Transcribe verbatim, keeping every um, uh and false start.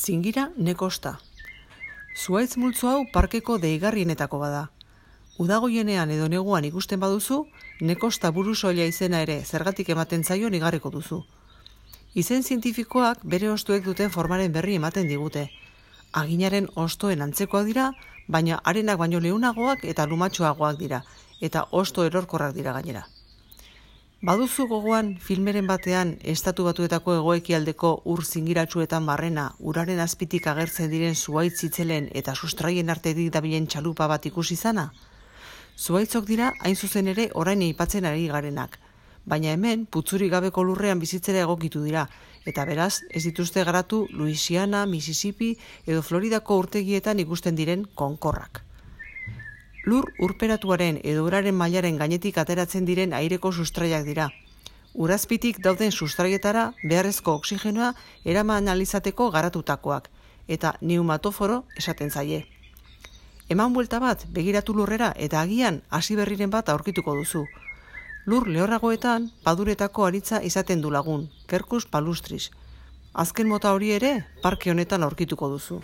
Zingira nekosta. Zuhaitz multzo hau parkeko deigarrienetako bada. Udagoienean edo neguan ikusten baduzu, nekosta burusoila izena ere zergatik ematen zaio igarriko duzu. Izen zientifikoak bere hostoek duten formaren berri ematen digute. Aginaren hostoen antzekoak dira, baina arenak baino leunagoak eta lumatxoagoak dira, eta hosto erorkorrak dira gainera. Baduzu gogoan filmeren batean estatu batuetako hegoekialdeko ur zingiratsuetan barrena, uraren azpitik agertzen diren zuhaitz itzelen eta sustraien artetik dabilen txalupa bat ikusi izana? Zuhaitzok dira hain zuzen ere orain aipatzen ari garenak, baina hemen putzurik gabeko lurrean bizitzera egokitu dira, eta beraz ez dituzte garatu Louisiana, Mississippi edo Floridako urtegietan ikusten diren konkorrak. Lur urperatuaren edo uraren mailaren gainetik ateratzen diren aireko sustraiak dira. Urazpitik dauden sustraietara beharrezko oxigenoa eraman alizateko garatutakoak, eta neumatoforo esaten zaie. Eman buelta bat, begiratu lurrera eta agian hasi berriren bat aurkituko duzu. Lur lehorragoetan paduretako aritza izaten du lagun, Quercus palustris. Azken mota hori ere parke honetan aurkituko duzu.